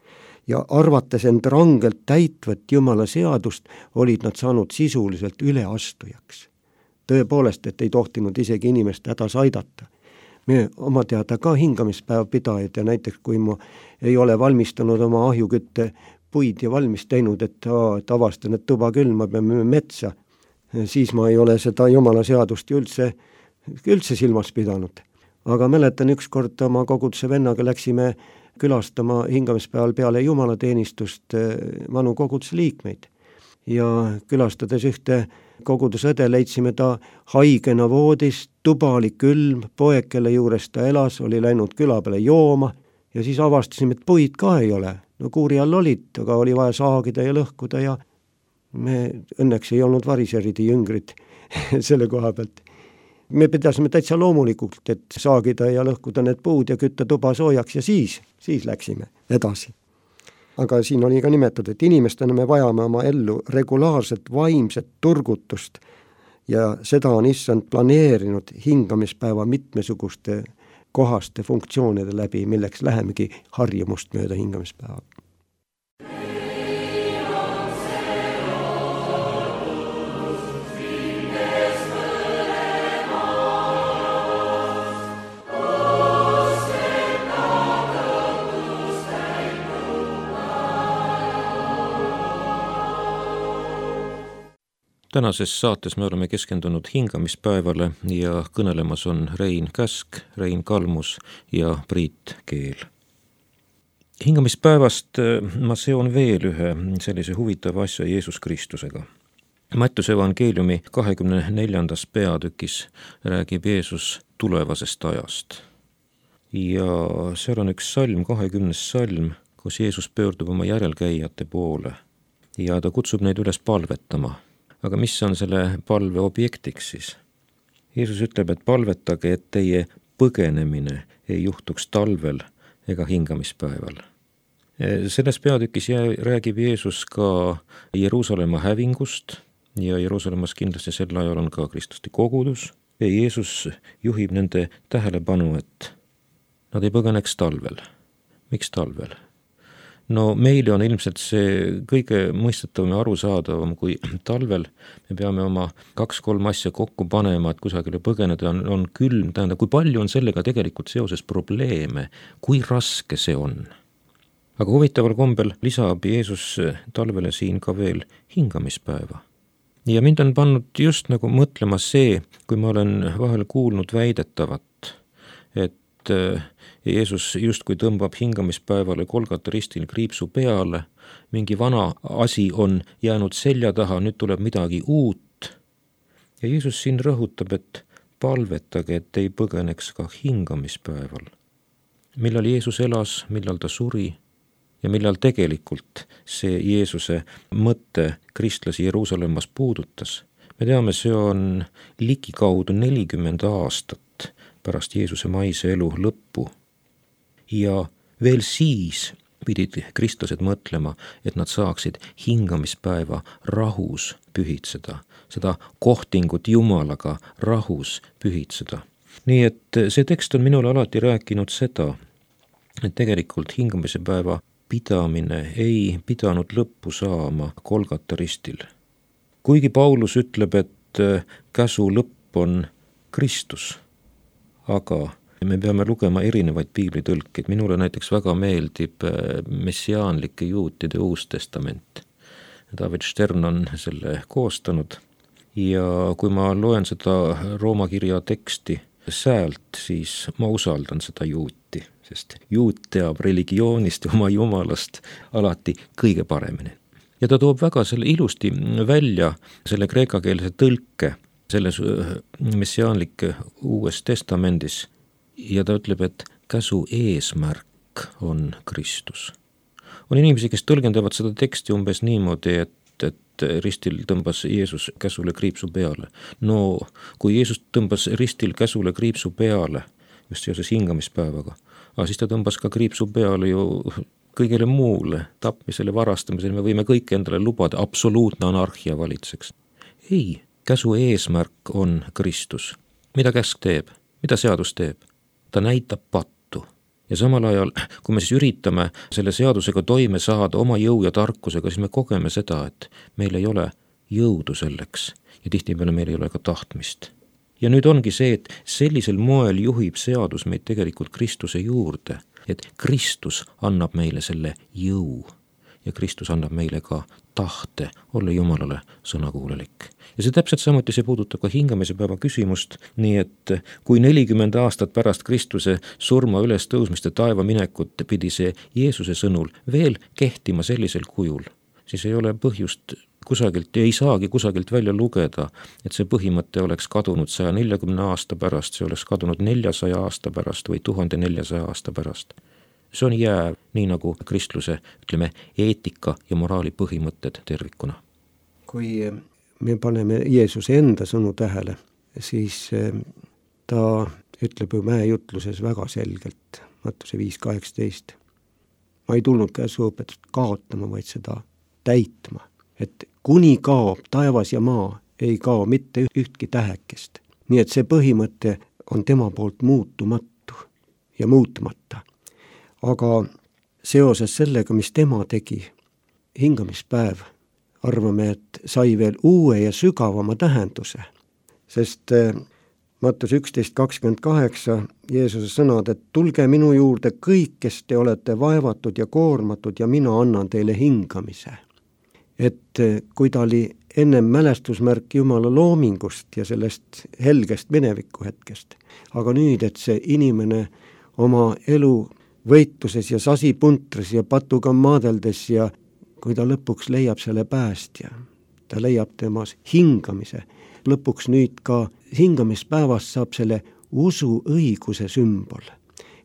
Ja arvates end rangelt täitvat Jumala seadust, olid nad saanud sisuliselt üleastujaks. Tõepoolest, et ei tohtinud isegi inimest hädas aidata. Me oma teada ka hingamispäev pidajad ja näiteks kui ma ei ole valmistanud oma ahjukütte puid ja valmis teinud, et, et avastan, et tuba küll, ma peame metsa, siis ma ei ole seda Jumala seadust üldse, üldse silmas pidanud. Aga mäletan ükskord oma koguduse vennaga läksime külastama hingamispäeval peale jumalateenistust vanu koguduse liikmeid. Ja külastades ühte kogudusõde leidsime ta haigena voodis, tuba oli külm, poeg, kelle juures ta elas, oli läinud küla peale jooma ja siis avastasime, et puid ka ei ole. No kuuri all olid, aga oli vaja saagida ja lõhkuda ja me õnneks ei olnud variseridi jüngrid selle koha pealt. Me pidasime täitsa loomulikult, et saagida ja lõhkuda need puud ja kütta tuba soojaks ja siis, siis läksime edasi. Aga siin oli ka nimetatud, et inimestena me vajame oma ellu regulaarset vaimset turgutust ja seda on issand planeerinud hingamispäeva mitmesuguste kohaste funktsioonide läbi, milleks lähemegi harjumust mööda hingamispäeva. tänases saates me oleme keskendunud hingamispäevale ja kõnelemas on Rein Käsk, Rein Kalmus ja Priit Keel. Hingamispäevast ma seon veel ühe sellise huvitava asja Jeesus Kristusega. Mattiuse evangeeliumi kahekümne neljandas peatükis räägib Jeesus tulevasest ajast. Ja seal on üks salm, kahekümnes salm, kus Jeesus pöördub oma järelkäijate poole ja ta kutsub neid üles palvetama. Aga mis on selle palve objektiks siis? Jeesus ütleb, et palvetage, et teie põgenemine ei juhtuks talvel ega hingamispäeval. Selles peatükis räägib Jeesus ka Jeruusalemma hävingust ja Jeruusalemmas kindlasti sel ajal on ka kristlaste kogudus. Ja Jeesus juhib nende tähelepanu, et nad ei põgeneks talvel. Miks talvel? No meile on ilmselt see kõige mõistetavam ja arusaadavam, kui talvel me peame oma kaks-kolm asja kokku panema, et kusagile põgeneda on, on külm, tähendab, kui palju on sellega tegelikult seoses probleeme, kui raske see on. Aga huvitaval kombel lisab Jeesus talvele siin ka veel hingamispäeva. Ja mind on pannud just nagu mõtlema see, kui ma olen vahel kuulnud väidetavat, et Jeesus justkui tõmbab hingamispäevale Golgata ristil kriipsu peale, mingi vana asi on jäänud selja taha, nüüd tuleb midagi uut. Ja Jeesus siin rõhutab, et palvetage, et ei põgeneks ka hingamispäeval. Millal Jeesus elas, millal ta suri ja millal tegelikult see Jeesuse mõtte kristlasi Jeruusalemmas puudutas. Me teame, see on ligikaudu nelikümmend aastat pärast Jeesuse maise elu lõppu. Ja veel siis pidid kristlased mõtlema, et nad saaksid hingamispäeva rahus pühitseda, seda kohtingut Jumalaga rahus pühitseda. Nii et see tekst on minule alati rääkinud seda, et tegelikult hingamise päeva pidamine ei pidanud lõppu saama Golgata ristil. Kuigi Paulus ütleb, et käsu lõpp on Kristus, aga me peame lugema erinevaid piiblitõlkeid. Minule näiteks väga meeldib messiaanlike juutide uus testament. David Stern on selle koostanud ja kui ma loen seda Rooma kirja teksti säält, siis ma usaldan seda juuti, sest juut teab religioonist ja oma jumalast alati kõige paremini. Ja ta toob väga selle ilusti välja selle kreekakeelse tõlke selles messiaanlike uues testamendis ja ta ütleb, et käsu eesmärk on Kristus. On inimesi, kes tõlgendavad seda teksti umbes niimoodi, et, et ristil tõmbas Jeesus käsule kriipsu peale. No kui Jeesus tõmbas ristil käsule kriipsu peale, just seoses hingamispäevaga, aga siis ta tõmbas ka kriipsu peale ju kõigele muule, tapmisele, varastamisele, me võime kõik endale lubada, absoluutne anarhia valitseks. Ei, käsu eesmärk on Kristus. Mida käsk teeb? Mida seadus teeb? Ta näitab pattu. Ja samal ajal, kui me siis üritame selle seadusega toime saada oma jõu ja tarkusega, siis me kogeme seda, et meil ei ole jõudu selleks ja tihtipeale meil ei ole ka tahtmist. Ja nüüd ongi see, et sellisel moel juhib seadus meid tegelikult Kristuse juurde, et Kristus annab meile selle jõu ja Kristus annab meile ka tahte olla Jumalale sõnakuulelik. Ja see täpselt samuti see puudutab ka hingamise päeva küsimust, nii et kui nelikümmend aastat pärast Kristuse surma üles tõusmist ja taeva minekut pidi see Jeesuse sõnul veel kehtima sellisel kujul, siis ei ole põhjust kusagilt ja ei saagi kusagilt välja lugeda, et see põhimõte oleks kadunud saja neljakümne aasta pärast, see oleks kadunud neljasaja aasta pärast või tuhande neljasaja aasta pärast. See on jääv, nii nagu kristluse, ütleme, eetika ja moraali põhimõtted tervikuna. Kui me paneme Jeesuse enda sõnu tähele, siis ta ütleb ju mäejutluses väga selgelt, Mattuse viis kaheksateist. Ma ei tulnud käsuõpetust kaotama, vaid seda täitma. Et kuni kaob taevas ja maa, ei kao mitte ühtki tähekest. Nii et see põhimõte on tema poolt muutumatu ja muutmata. Aga seoses sellega, mis tema tegi, hingamispäev, arvame, et sai veel uue ja sügavama tähenduse. Sest Mattus üksteist kakskümmend kaheksa Jeesuse sõnad, et tulge minu juurde kõik, kes te olete vaevatud ja koormatud ja mina annan teile hingamise. et kui ta oli ennem mälestusmärk Jumala loomingust ja sellest helgest mineviku hetkest, aga nüüd, et see inimene oma elu võitluses ja sasipuntris ja patuga maadeldes ja kui ta lõpuks leiab selle päästja, ta leiab temas hingamise, lõpuks nüüd ka hingamispäevast saab selle usu õiguse sümbol.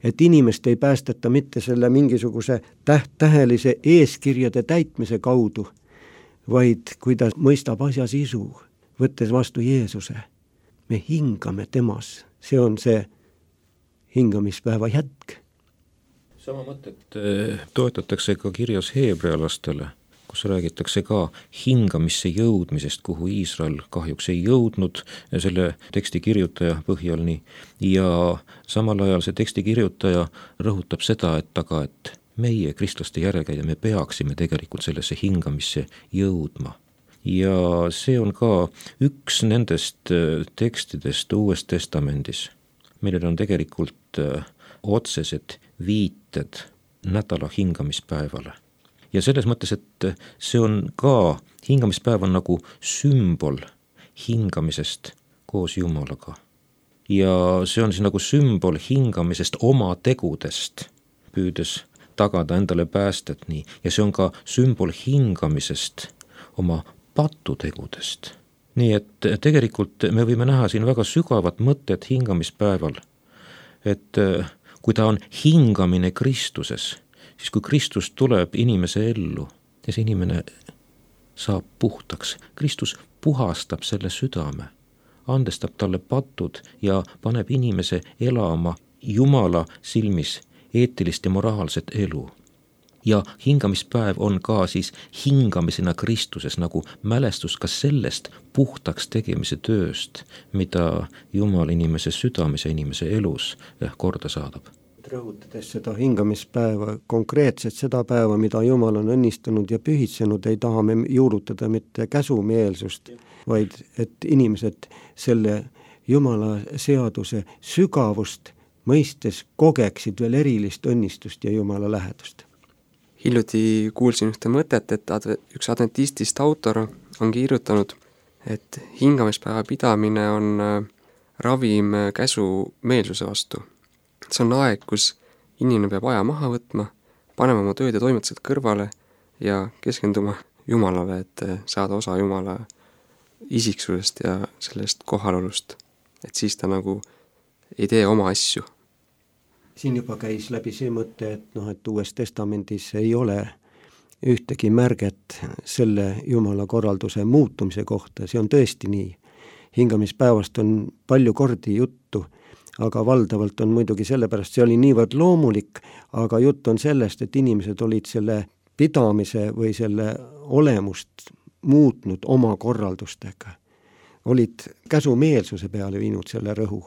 Et inimest ei päästeta mitte selle mingisuguse täht-tähelise eeskirjade täitmise kaudu, vaid kui ta mõistab asja sisu, võttes vastu Jeesuse. Me hingame temas, see on see hingamispäeva jätk. Sama mõtet toetatakse ka kirjas heebrealastele, kus räägitakse ka hingamisse jõudmisest, kuhu Iisrael kahjuks ei jõudnud selle teksti kirjutaja põhjal nii. Ja samal ajal see teksti kirjutaja rõhutab seda, et aga, et meie kristlaste järelkäija, me peaksime tegelikult sellesse hingamisse jõudma. Ja see on ka üks nendest tekstidest Uues Testamendis, millel on tegelikult otsesed viited nädala hingamispäevale. Ja selles mõttes, et see on ka, hingamispäev on nagu sümbol hingamisest koos Jumalaga. Ja see on siis nagu sümbol hingamisest oma tegudest, püüdes tagada endale päästet nii. Ja see on ka sümbol hingamisest oma patutegudest. Nii et tegelikult me võime näha siin väga sügavat mõtet hingamispäeval, et kui ta on hingamine Kristuses, siis kui Kristus tuleb inimese ellu ja see inimene saab puhtaks, Kristus puhastab selle südame, andestab talle patud ja paneb inimese elama Jumala silmis eetilist ja moraalset elu. Ja hingamispäev on ka siis hingamisena Kristuses nagu mälestus ka sellest puhtaks tegemise tööst, mida Jumal inimese südames ja inimese elus korda saadab. Rõhutades seda hingamispäeva, konkreetselt seda päeva, mida Jumal on õnnistanud ja pühitsenud, ei taha me juurutada mitte käsumeelsust, vaid et inimesed selle Jumala seaduse sügavust mõistes kogeksid veel erilist õnnistust ja Jumala lähedust. Hiljuti kuulsin ühte mõtet, et adve, üks adventistist autor on kirjutanud, et hingamispäeva pidamine on ravim käsu meelsuse vastu. See on aeg, kus inimene peab aja maha võtma, panema oma tööd ja toimetused kõrvale ja keskenduma Jumalale, et saada osa Jumala isiksusest ja sellest kohalolust. Et siis ta nagu ei tee oma asju. Siin juba käis läbi see mõte, et, noh, et Uues Testamendis ei ole ühtegi märget selle Jumala korralduse muutumise kohta, see on tõesti nii. Hingamispäevast on palju kordi juttu, aga valdavalt on muidugi sellepärast, see oli niivõrd loomulik, aga jutt on sellest, et inimesed olid selle pidamise või selle olemust muutnud oma korraldustega. Olid käsumeelsuse peale viinud selle rõhu.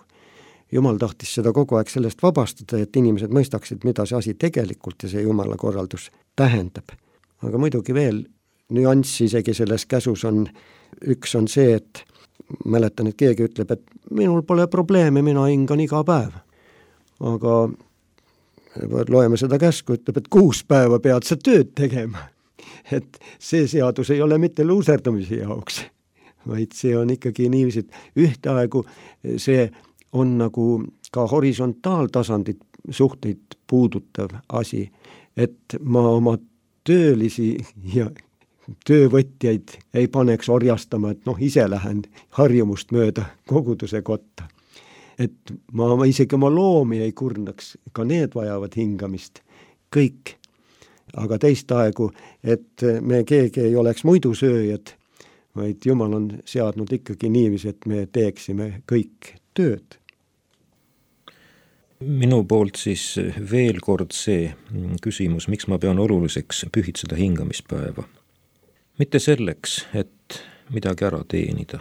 Jumal tahtis seda kogu aeg sellest vabastada, et inimesed mõistaksid, mida see asi tegelikult ja see Jumala korraldus tähendab. Aga muidugi veel nüanss isegi selles käsus on, üks on see, et mäletan, et keegi ütleb, et minul pole probleeme, mina hingan iga päev. Aga loeme seda käsku, ütleb, et kuus päeva pead sa tööd tegema. Et see seadus ei ole mitte luuserdamise jaoks, vaid see on ikkagi niiviisi, et ühtaegu see on nagu ka horisontaaltasandit suhteid puudutav asi, et ma oma töölisi ja töövõtjaid ei paneks orjastama, et noh, ise lähen harjumust mööda koguduse kotta. Et ma, ma isegi oma loomi ei kurnaks, ka need vajavad hingamist, kõik. Aga teist aegu, et me keegi ei oleks muidu sööjad, vaid Jumal on seadnud ikkagi niivis, et me teeksime kõik tööd. Minu poolt siis veel kord see küsimus, miks ma pean oluliseks pühitseda hingamispäeva. Mitte selleks, et midagi ära teenida.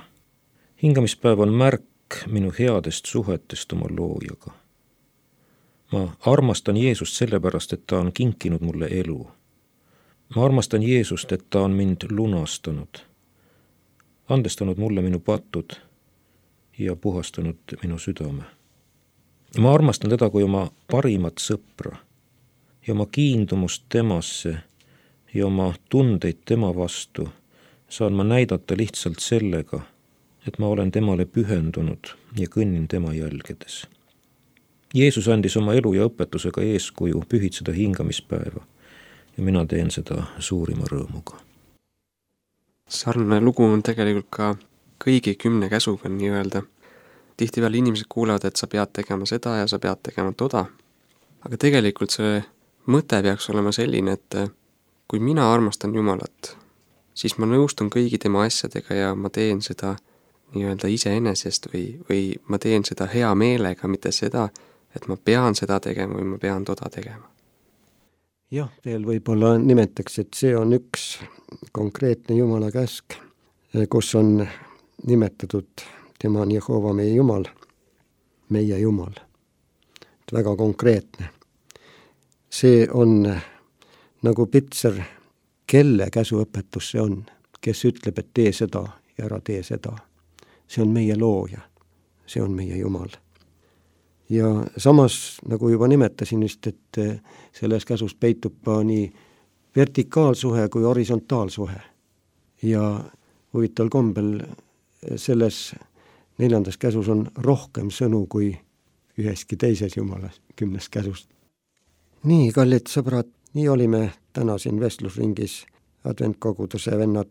Hingamispäev on märk minu headest suhetest oma loojaga. Ma armastan Jeesust sellepärast, et ta on kinkinud mulle elu. Ma armastan Jeesust, et ta on mind lunastanud, andestanud mulle minu patud ja puhastanud minu südame. Ma armastan teda kui oma parimat sõpra ja oma kiindumust temasse ja oma tundeid tema vastu saan ma näidata lihtsalt sellega, et ma olen temale pühendunud ja kõnnin tema jälgedes. Jeesus andis oma elu ja õpetusega eeskuju pühitseda hingamispäeva ja mina teen seda suurima rõõmuga. Sarnane lugu on tegelikult ka kõigi kümne käsuga nii-öelda. Tihtipeale inimesed kuulevad, et sa pead tegema seda ja sa pead tegema toda. Aga tegelikult see mõte peaks olema selline, et kui mina armastan Jumalat, siis ma nõustun kõigi tema asjadega ja ma teen seda nii-öelda iseenesest või, või ma teen seda hea meelega, mitte seda, et ma pean seda tegema või ma pean toda tegema. Jah, veel võib-olla nimetaks, et see on üks konkreetne Jumala käsk, kus on nimetatud tema on Jehova meie Jumal, meie Jumal. Väga konkreetne. See on nagu pitser, kelle käsuõpetus see on, kes ütleb, et tee seda ja ära tee seda. See on meie looja, see on meie Jumal. Ja samas, nagu juba nimetasin vist, et selles käsus peitub nii vertikaalsuhe kui horisontaalsuhe. Ja huvitaval kombel selles neljandas käsus on rohkem sõnu kui üheski teises Jumala kümnes käsust. Nii, kallid sõbrad, nii olime täna siin vestlusringis adventkoguduse vennad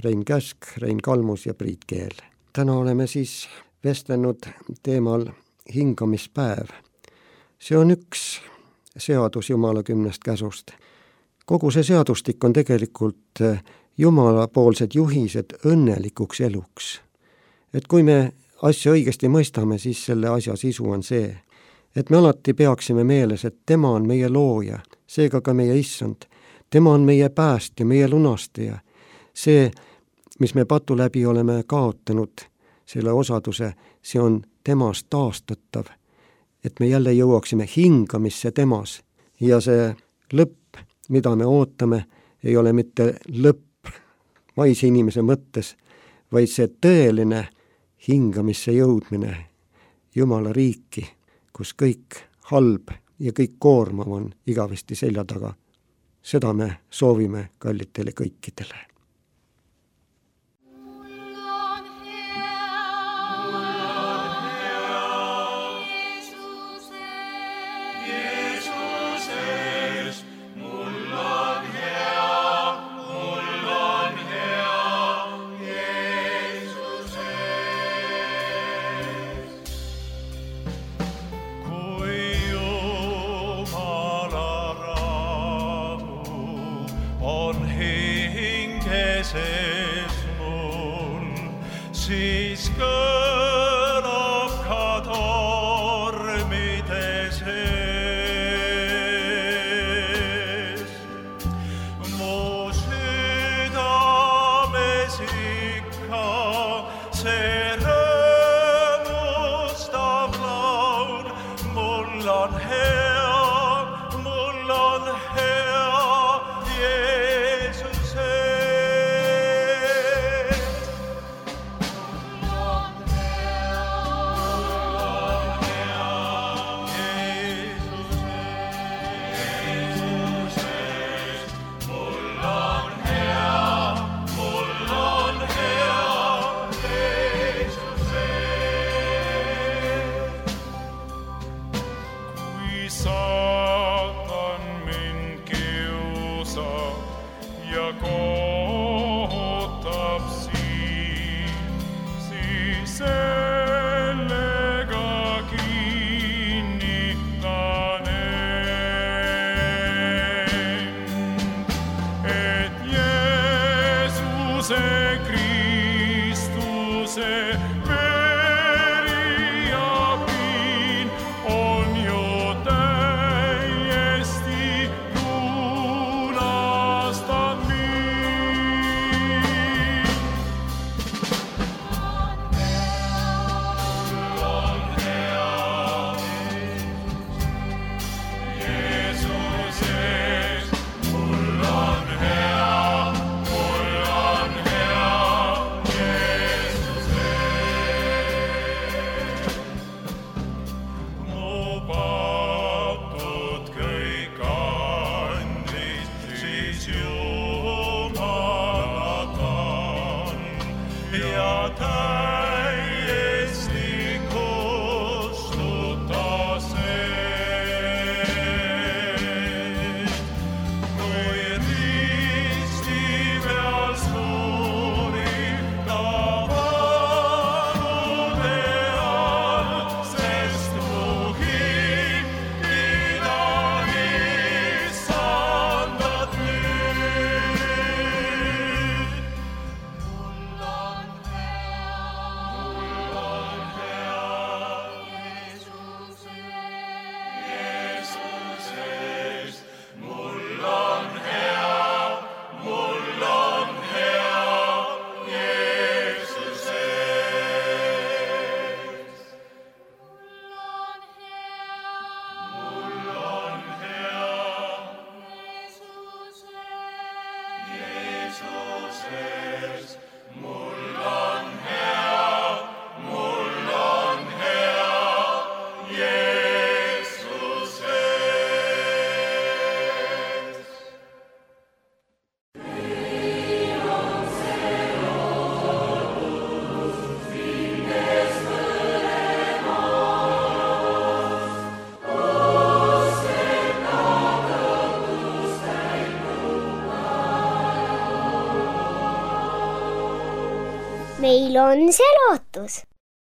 Rein Käsk, Rein Kalmus ja Priit Keel. Täna oleme siis vestlenud teemal hingamispäev. See on üks seadus Jumala kümnest käsust. Kogu see seadustik on tegelikult Jumala poolsed juhised õnnelikuks eluks. Et kui me asja õigesti mõistame, siis selle asja sisu on see, et me alati peaksime meeles, et tema on meie looja, seega ka meie issand. Tema on meie päästja, meie lunastaja. See, mis me patu läbi oleme kaotanud, selle osaduse, see on temast taastatav, et me jälle jõuaksime hingamisse temas. Ja see lõpp, mida me ootame, ei ole mitte lõpp vaise inimese mõttes, vaid see tõeline hingamisse jõudmine Jumala riiki, kus kõik halb ja kõik koormav on igavesti selja taga. Seda me soovime kallitele kõikidele. Siis kõlab ka tormide sees. Mu südames ikka see rõõmustav laul. Mul on hea, mul on hea Jeesuse. Saatan mind kiusab ja kohutab siin, siis sellega kinnitan end, et Jeesuse Kristuse ja täiesti kustutas eest. Kui risti peal suri ta valude all, sest mu hikkida issandat nüüd. Mul on hea, mul on hea Jeesuse, Jeesuses. Mul on hea, mul on hea Jeesuses. Mul on hea, mul on hea Jeesuses. Mul on hea, mul on hea Jeesuses. meil on see lootus.